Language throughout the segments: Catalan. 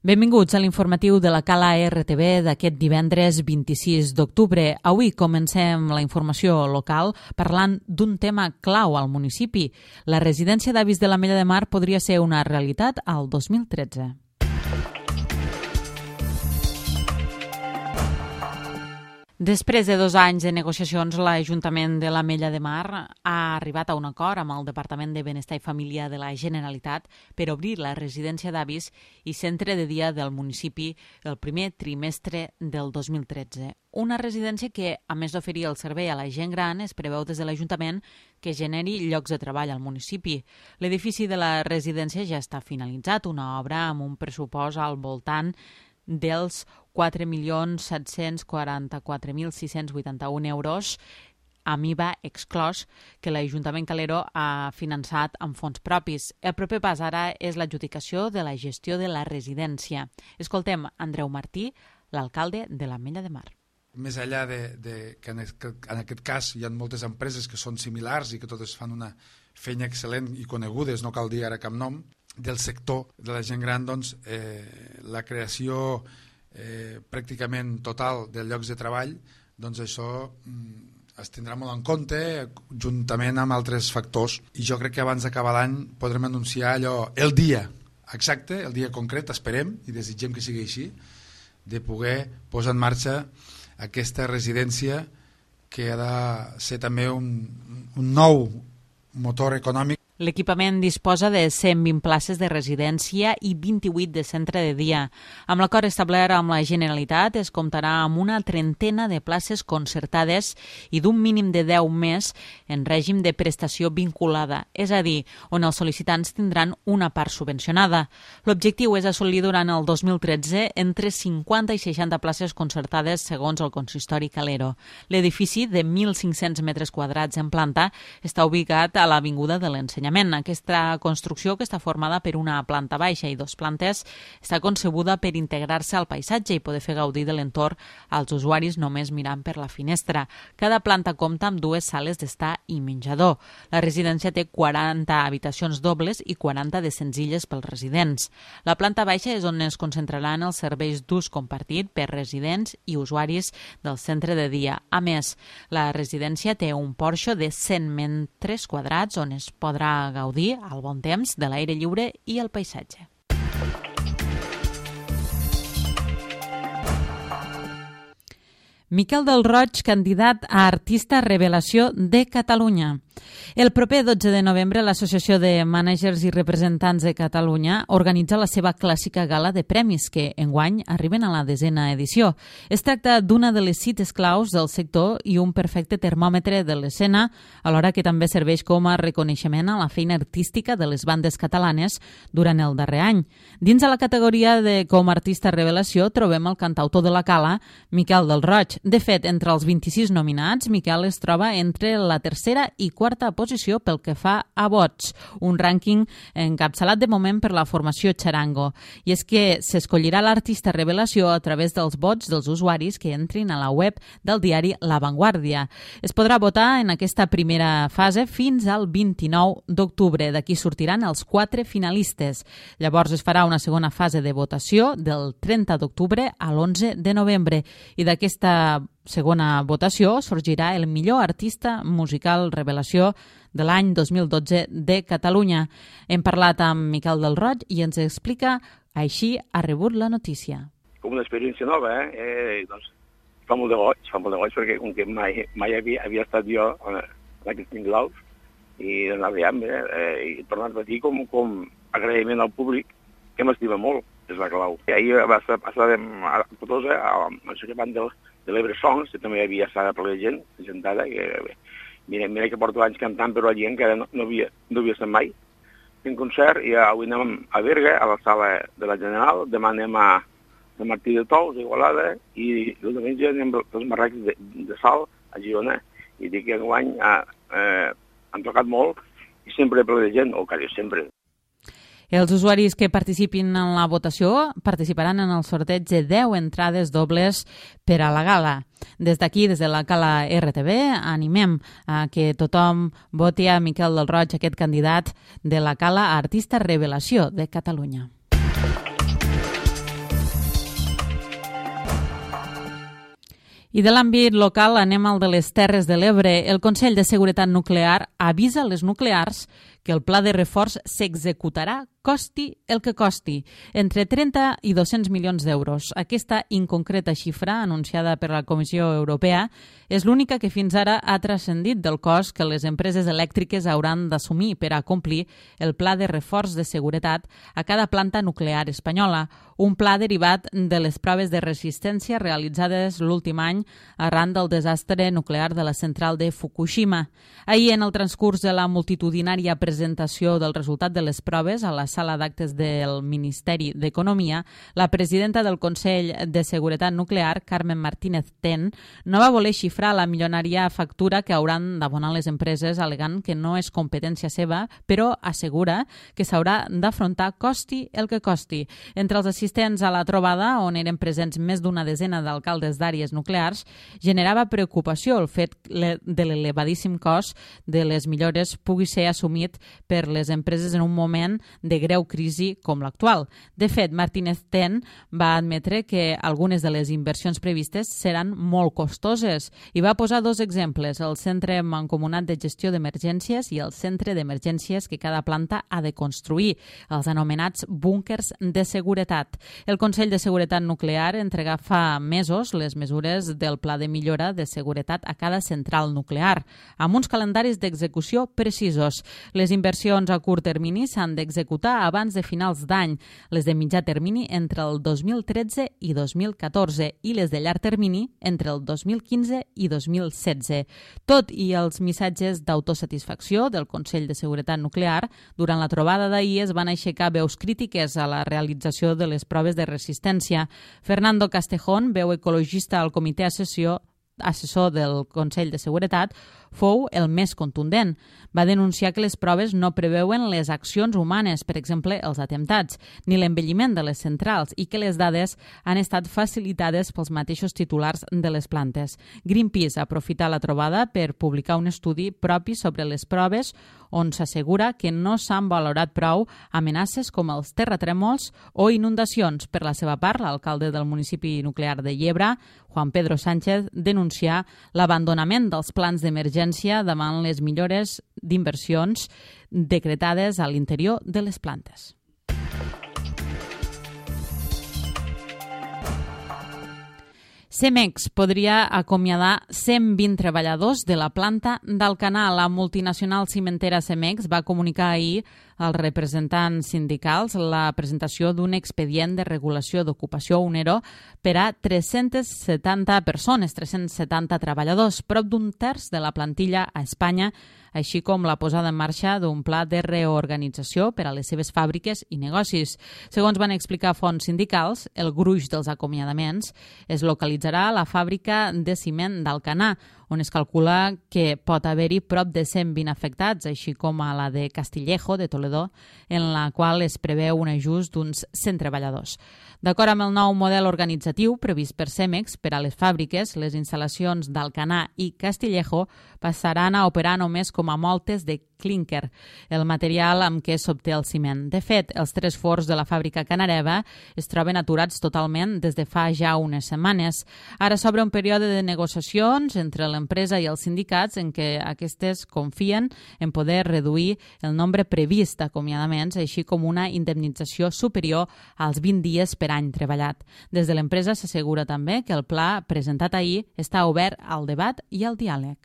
Benvinguts a l'informatiu de la Cala RTV d'aquest divendres 26 d'octubre. Avui comencem la informació local parlant d'un tema clau al municipi. La residència d'avis de l'Ametlla de Mar podria ser una realitat al 2013. Després de 2 anys de negociacions, l'Ajuntament de l'Ametlla de Mar ha arribat a un acord amb el Departament de Benestar i Família de la Generalitat per obrir la residència d'avis i centre de dia del municipi el primer trimestre del 2013. Una residència que, a més d'oferir el servei a la gent gran, es preveu des de l'Ajuntament que generi llocs de treball al municipi. L'edifici de la residència ja està finalitzat, una obra amb un pressupost al voltant dels 4.744.681 euros amb IVA exclòs que l'Ajuntament Calero ha finançat amb fons propis. El proper pas ara és l'adjudicació de la gestió de la residència. Escoltem Andreu Martí, l'alcalde de l'Ametlla de Mar. Més enllà que en aquest cas hi ha moltes empreses que són similars i que totes fan una feina excel·lent i conegudes, no cal dir ara cap nom, del sector de la gent gran, doncs la creació pràcticament total de llocs de treball, doncs això es tindrà molt en compte juntament amb altres factors, i jo crec que abans d'acabar l'any podrem anunciar allò, el dia exacte, el dia concret, esperem i desitgem que sigui així, de poder posar en marxa aquesta residència que ha de ser també un nou motor econòmic. L'equipament disposa de 120 places de residència i 28 de centre de dia. Amb l'acord establert amb la Generalitat es comptarà amb una trentena de places concertades i d'un mínim de 10 més en règim de prestació vinculada, és a dir, on els sol·licitants tindran una part subvencionada. L'objectiu és assolir durant el 2013 entre 50 i 60 places concertades segons el consistori Calero. L'edifici de 1.500 metres quadrats en planta està ubicat a l'Avinguda de l'Ensenyament. Aquesta construcció, que està formada per una planta baixa i 2 plantes, està concebuda per integrar-se al paisatge i poder fer gaudir de l'entorn als usuaris només mirant per la finestra. Cada planta compta amb 2 sales d'estar i menjador. La residència té 40 habitacions dobles i 40 de senzilles pels residents. La planta baixa és on es concentraran els serveis d'ús compartit per residents i usuaris del centre de dia. A més, la residència té un porxo de 100 metres quadrats on es podrà gaudir al bon temps de l'aire lliure i el paisatge. Miquel del Roig, candidat a Artista Revelació de Catalunya. El proper 12 de novembre, l'Associació de Mànagers i Representants de Catalunya organitza la seva clàssica gala de premis, que enguany arriben a la 10a edició. Es tracta d'una de les cites claus del sector i un perfecte termòmetre de l'escena, alhora que també serveix com a reconeixement a la feina artística de les bandes catalanes durant el darrer any. Dins de la categoria de com a artista revelació trobem el cantautor de la Cala, Miquel del Roig. De fet, entre els 26 nominats, Miquel es troba entre la tercera i quarta posició pel que fa a vots, un rànquing encapçalat de moment per la formació Charango. I és que s'escollirà l'artista revelació a través dels vots dels usuaris que entrin a la web del diari La Vanguardia. Es podrà votar en aquesta primera fase fins al 29 d'octubre. D'aquí sortiran els 4 finalistes. Llavors es farà una segona fase de votació del 30 d'octubre a l'11 de novembre. I d'aquesta segona votació sorgirà el millor artista musical revelació de l'any 2012 de Catalunya. Hem parlat amb Miquel del Roig i ens explica així ha rebut la notícia. Com una experiència nova, doncs fa molt de goig perquè com que mai havia estat jo en aquests tinglaus i d'anar veient, i tornar a patir com agraïment al públic, que m'estima molt, és la clau. I ahir passàvem a Cotosa, al Societat de l'Ebre Songs, que també hi havia estat per la gent, sentada, que mira que porto anys cantant, però la gent encara no havia estat mai. Fent concert, i avui anem a Berga, a la sala de la General, demà anem a Martí de Tous, a Igualada, i el diumenge anem als Marrecs de Sal, a Girona, i dic que enguany han tocat molt, i sempre ple de gent, o quasi sempre. Els usuaris que participin en la votació participaran en el sorteig de 10 entrades dobles per a la gala. Des d'aquí, des de la Cala RTV, animem a que tothom voti a Miquel del Roig, aquest candidat de la Cala a Artista Revelació de Catalunya. I de l'àmbit local anem al de les Terres de l'Ebre. El Consell de Seguretat Nuclear avisa les nuclears que el pla de reforç s'executarà costi el que costi, entre 30 i 200 milions d'euros. Aquesta inconcreta xifra, anunciada per la Comissió Europea, és l'única que fins ara ha transcendit del cost que les empreses elèctriques hauran d'assumir per a complir el pla de reforç de seguretat a cada planta nuclear espanyola, un pla derivat de les proves de resistència realitzades l'últim any arran del desastre nuclear de la central de Fukushima. Ahir, en el transcurs de la multitudinària presentació del resultat de les proves a la sala d'actes del Ministeri d'Economia, la presidenta del Consell de Seguretat Nuclear, Carmen Martínez Ten, no va voler xifrar la milionària factura que hauran d'abonar les empreses, alegant que no és competència seva, però assegura que s'haurà d'afrontar costi el que costi. Entre els assistents a la trobada, on eren presents més d'una desena d'alcaldes d'àrees nuclears, generava preocupació el fet de l'elevadíssim cost de les millores pugui ser assumit per les empreses en un moment de greu crisi com l'actual. De fet, Martínez Ten va admetre que algunes de les inversions previstes seran molt costoses i va posar dos exemples, el Centre Mancomunat de Gestió d'Emergències i el Centre d'Emergències que cada planta ha de construir, els anomenats búnkers de seguretat. El Consell de Seguretat Nuclear entregà fa mesos les mesures del Pla de Millora de Seguretat a cada central nuclear, amb uns calendaris d'execució precisos. Les inversions a curt termini s'han d'executar abans de finals d'any, les de mitjà termini entre el 2013 i 2014 i les de llarg termini entre el 2015 i 2016. Tot i els missatges d'autosatisfacció del Consell de Seguretat Nuclear, durant la trobada d'ahir es van aixecar veus crítiques a la realització de les proves de resistència. Fernando Castejón, veu ecologista al comitè assessor del Consell de Seguretat, fou el més contundent. Va denunciar que les proves no preveuen les accions humanes, per exemple, els atemptats, ni l'envelliment de les centrals i que les dades han estat facilitades pels mateixos titulars de les plantes. Greenpeace ha aprofitat la trobada per publicar un estudi propi sobre les proves on s'assegura que no s'han valorat prou amenaces com els terratrèmols o inundacions. Per la seva part, l'alcalde del municipi nuclear de Llebra, Juan Pedro Sánchez, denuncià l'abandonament dels plans d'emergència davant les millores d'inversions decretades a l'interior de les plantes. Cemex podria acomiadar 120 treballadors de la planta d'Alcanar. La multinacional cimentera Cemex va comunicar ahir als representants sindicals la presentació d'un expedient de regulació d'ocupació UNERO per a 370 persones, 370 treballadors, prop d'un terç de la plantilla a Espanya, així com la posada en marxa d'un pla de reorganització per a les seves fàbriques i negocis. Segons van explicar fonts sindicals, el gruix dels acomiadaments es localitzarà a la fàbrica de ciment d'Alcanar, on es calcula que pot haver-hi prop de 120 afectats, així com a la de Castillejo, de Toledo, en la qual es preveu un ajust d'uns 100 treballadors. D'acord amb el nou model organitzatiu previst per Cemex per a les fàbriques, les instal·lacions d'Alcanar i Castillejo passaran a operar només com a moltes de clínquer, el material amb què s'obté el ciment. De fet, els 3 forns de la fàbrica canareva es troben aturats totalment des de fa ja unes setmanes. Ara s'obre un període de negociacions entre l'empresa i els sindicats en què aquestes confien en poder reduir el nombre previst d'acomiadaments, així com una indemnització superior als 20 dies per any treballat. Des de l'empresa s'assegura també que el pla presentat ahir està obert al debat i al diàleg.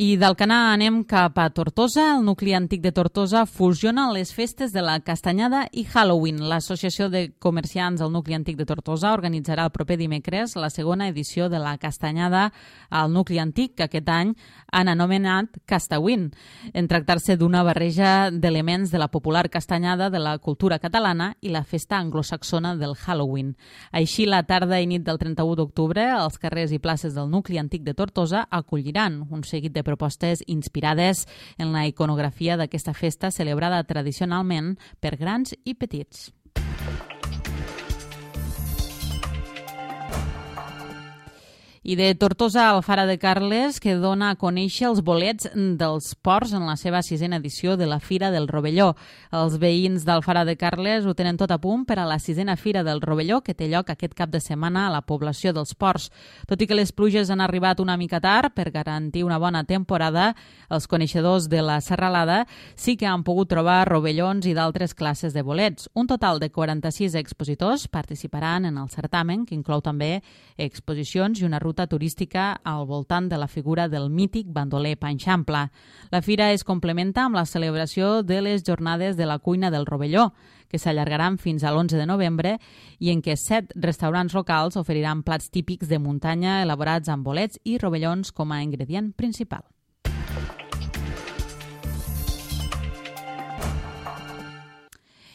I d'Alcanar anem cap a Tortosa. El nucli antic de Tortosa fusiona les festes de la Castanyada i Halloween. L'Associació de Comerciants del nucli antic de Tortosa organitzarà el proper dimecres la segona edició de la Castanyada al nucli antic, que aquest any han anomenat Castawin, en tractar-se d'una barreja d'elements de la popular castanyada de la cultura catalana i la festa anglosaxona del Halloween. Així, la tarda i nit del 31 d'octubre, els carrers i places del nucli antic de Tortosa acolliran un seguit de propostes inspirades en la iconografia d'aquesta festa celebrada tradicionalment per grans i petits. I de Tortosa a Alfara de Carles, que dona a conèixer els bolets dels ports en la seva 6a edició de la Fira del Rovelló. Els veïns d'Alfara de Carles ho tenen tot a punt per a la 6a Fira del Rovelló, que té lloc aquest cap de setmana a la població dels Ports. Tot i que les pluges han arribat una mica tard per garantir una bona temporada, els coneixedors de la serralada sí que han pogut trobar rovellons i d'altres classes de bolets. Un total de 46 expositors participaran en el certamen, que inclou també exposicions i una ruta turística al voltant de la figura del mític bandoler Panxampla. La fira es complementa amb la celebració de les jornades de la cuina del Rovelló, que s'allargaran fins a l'11 de novembre i en què 7 restaurants locals oferiran plats típics de muntanya elaborats amb bolets i rovellons com a ingredient principal.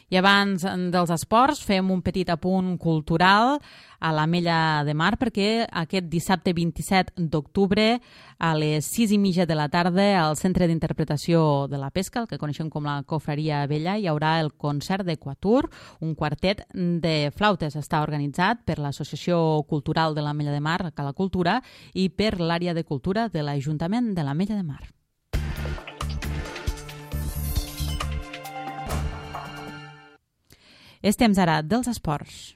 I abans dels esports fem un petit apunt cultural a l'Ametlla de Mar, perquè aquest dissabte 27 d'octubre a les 6:30 de la tarda al Centre d'Interpretació de la Pesca, el que coneixem com la Cofreria Vella, hi haurà el concert de Quatuor, un quartet de flautes. Està organitzat per l'Associació Cultural de l'Ametlla de Mar, Cala Cultura, i per l'àrea de cultura de l'Ajuntament de l'Ametlla de Mar. És temps ara dels esports.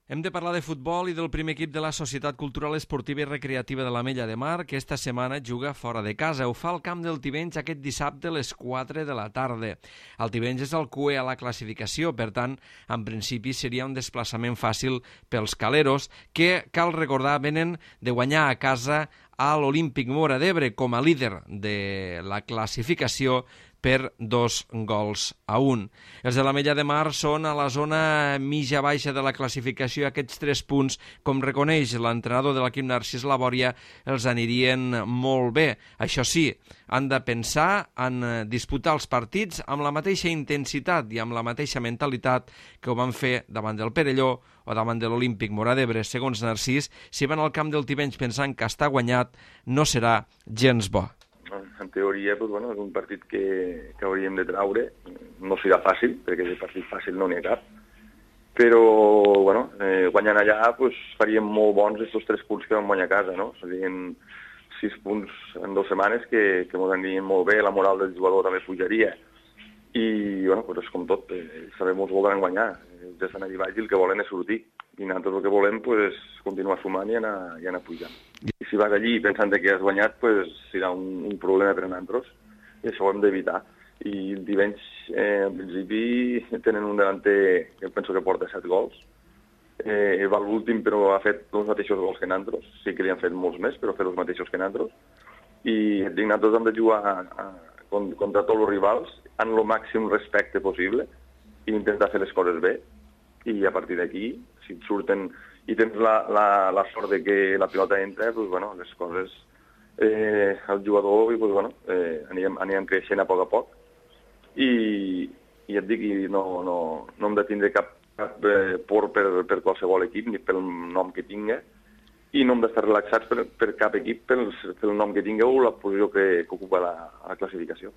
Hem de parlar de futbol i del primer equip de la Societat Cultural Esportiva i Recreativa de l'Ametlla de Mar, que esta setmana juga fora de casa. Ho fa al camp del Tivenys aquest dissabte a les 4 de la tarda. El Tivenys és el cué a la classificació, per tant, en principi seria un desplaçament fàcil pels caleros, que, cal recordar, venen de guanyar a casa a l'Olímpic Móra d'Ebre com a líder de la classificació per 2-1. Els de l'Ametlla de Mar són a la zona mitja-baixa de la classificació i aquests 3 punts, com reconeix l'entrenador de l'equip Narcís Labòria, els anirien molt bé. Això sí, han de pensar en disputar els partits amb la mateixa intensitat i amb la mateixa mentalitat que ho van fer davant del Perelló o davant de l'Olímpic Móra d'Ebre. Segons Narcís, si van al camp del Tivenys pensant que està guanyat, no serà gens bo. En teoria, doncs, bueno, és un partit que hauríem de traure. No serà fàcil, perquè de partit fàcil no n'hi ha cap. Però, bueno, guanyant allà doncs, faríem molt bons aquests 3 punts que vam guanyar a casa, no? Serien 6 punts en 2 setmanes que ens anirien molt bé, la moral del jugador també pujaria. I, bueno, doncs és com tot, sabem que volen guanyar. Ja estan allà baix i el que volen és sortir. I nosaltres el que volem és continuar sumant i anar pujant. I si vas allí pensant que has guanyat, serà un problema per a nosaltres, i això ho hem d'evitar. I el Tivenys, en principi, tenen un delanter que penso que porta 7 gols. Va l'últim, però ha fet els mateixos gols que nosaltres. Sí que li han fet molts més, però ha fet els mateixos que nosaltres. I nosaltres hem de jugar contra tots els rivals amb el màxim respecte possible i intentar fer les coses bé. I a partir d'aquí, si et surten i tens la sort de que la pilota entra, doncs, bueno, les coses, el jugador, doncs, bueno, anirem creixent a poc. I et dic, no hem de tindre cap por per qualsevol equip, ni pel nom que tinga, i no hem d'estar relaxats per cap equip pel nom que tinga o la posició que ocupa la classificació.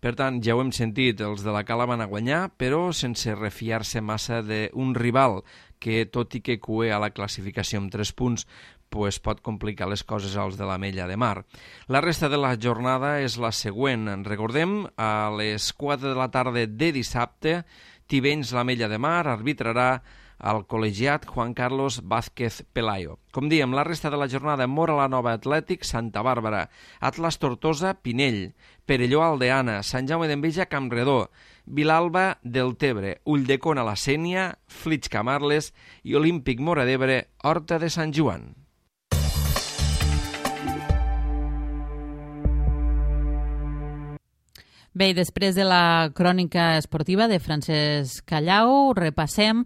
Per tant, ja ho hem sentit, els de la Cala van a guanyar, però sense refiar-se massa d'un rival que, tot i que cué a la classificació amb 3 punts, pot complicar les coses als de l'Ametlla de Mar. La resta de la jornada és la següent. Recordem, a les 4 de la tarda de dissabte, Tivenys l'Ametlla de Mar arbitrarà al col·legiat Juan Carlos Vázquez Pelayo. Com diem, la resta de la jornada: Móra la Nova Atlètic, Santa Bàrbara, Atlas Tortosa, Pinell, Perelló Aldeana, Sant Jaume d'Enveja, Campredó, Vilalba del Tebre, Ulldecona la Sénia, Flix Camarles i Olímpic Móra d'Ebre, Horta de Sant Joan. Bé, i després de la crònica esportiva de Francesc Callau, repassem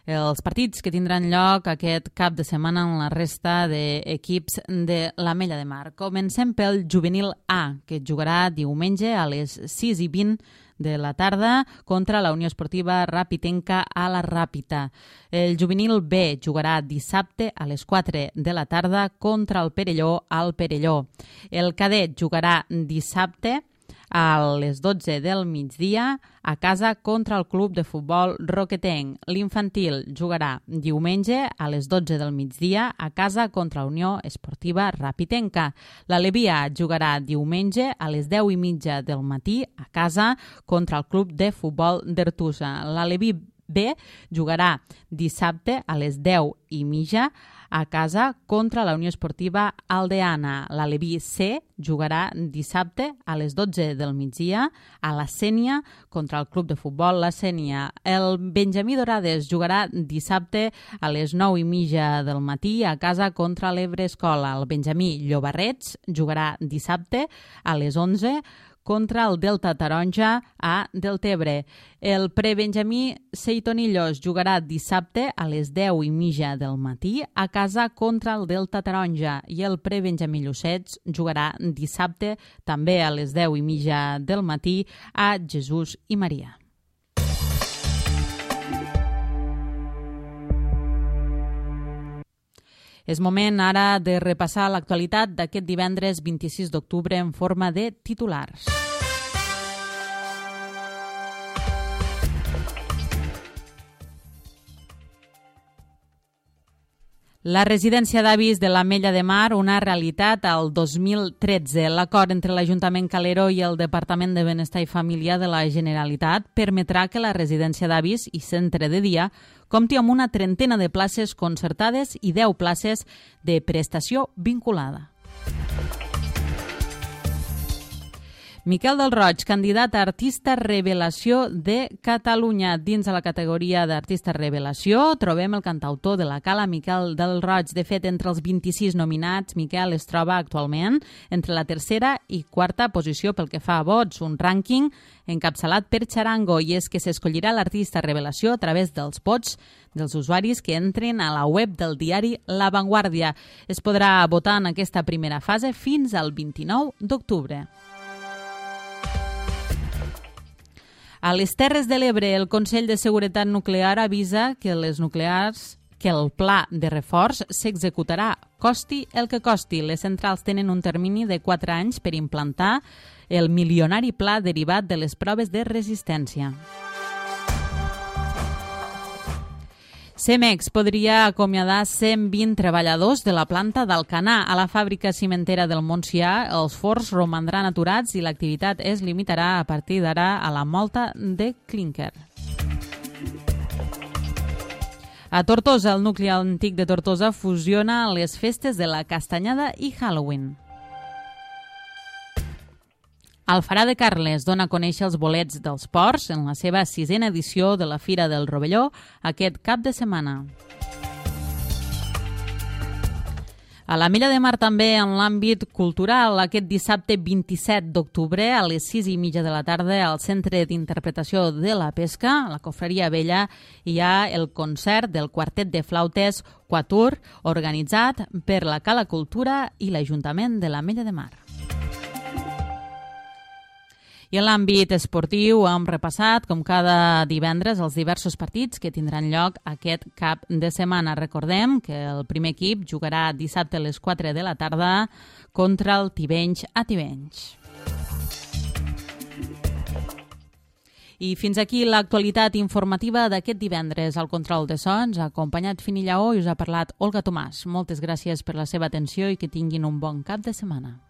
els partits que tindran lloc aquest cap de setmana en la resta d'equips de l'Ametlla de Mar. Comencem pel juvenil A, que jugarà diumenge a les 6:20 de la tarda contra la Unió Esportiva Ràpitenca a la Ràpita. El juvenil B jugarà dissabte a les 4 de la tarda contra el Perelló al Perelló. El cadet jugarà dissabte a les 12 del migdia a casa contra el club de futbol roquetenc. L'infantil jugarà diumenge a les 12 del migdia a casa contra la Unió Esportiva Rapitenca. L'Alevi A jugarà diumenge a les 10:30 del matí a casa contra el club de futbol d'Artusa. L'Alevi B jugarà dissabte a les 10:30 a casa contra la Unió Esportiva Aldeana. L'Alevi C jugarà dissabte a les 12 del migdia a la Sénia contra el club de futbol La Sénia. El Benjamí Dorades jugarà dissabte a les 9:30 del matí a casa contra l'Ebre Escola. El Benjamí Llobarrets jugarà dissabte a les 11 contra el Delta Taronja a Deltebre. El prebenjamí Seitonillos jugarà dissabte a les 10:30 del matí a casa contra el Delta Taronja i el prebenjamí Llucets jugarà dissabte també a les 10:30 del matí a Jesús i Maria. És moment ara de repassar l'actualitat d'aquest divendres 26 d'octubre en forma de titulars. La residència d'avis de l'Ametlla de Mar, una realitat al 2013. L'acord entre l'Ajuntament Calero i el Departament de Benestar i Família de la Generalitat permetrà que la residència d'avis i centre de dia compti amb una trentena de places concertades i 10 places de prestació vinculada. Miquel del Roig, candidat a Artista Revelació de Catalunya. Dins de la categoria d'Artista Revelació trobem el cantautor de la Cala, Miquel del Roig. De fet, entre els 26 nominats, Miquel es troba actualment entre la tercera i quarta posició pel que fa a vots, un rànquing encapçalat per Charango, i és que s'escollirà l'artista revelació a través dels vots dels usuaris que entren a la web del diari La Vanguardia. Es podrà votar en aquesta primera fase fins al 29 d'octubre. A les Terres de l'Ebre, el Consell de Seguretat Nuclear avisa que el pla de reforç s'executarà costi el que costi. Les centrals tenen un termini de 4 anys per implantar el milionari pla derivat de les proves de resistència. Cemex podria acomiadar 120 treballadors de la planta d'Alcanar. A la fàbrica cimentera del Montsià, els forns romandran aturats i l'activitat es limitarà a partir d'ara a la molta de clínquer. A Tortosa, el nucli antic de Tortosa fusiona les festes de la Castanyada i Halloween. Alfarà de Carles dona a conèixer els bolets dels ports en la seva 6ª edició de la Fira del Rovelló aquest cap de setmana. A l'Ametlla de Mar també en l'àmbit cultural, aquest dissabte 27 d'octubre a les 6:30 de la tarda al Centre d'Interpretació de la Pesca, la Cofreria Vella, hi ha el concert del quartet de flautes Quatur, organitzat per la Cala Cultura i l'Ajuntament de l'Ametlla de Mar. I en l'àmbit esportiu hem repassat, com cada divendres, els diversos partits que tindran lloc aquest cap de setmana. Recordem que el primer equip jugarà dissabte a les 4 de la tarda contra el Tivenys a Tivenys. I fins aquí l'actualitat informativa d'aquest divendres. Al control de sons ha acompanyat Fini Lleó i us ha parlat Olga Tomàs. Moltes gràcies per la seva atenció i que tinguin un bon cap de setmana.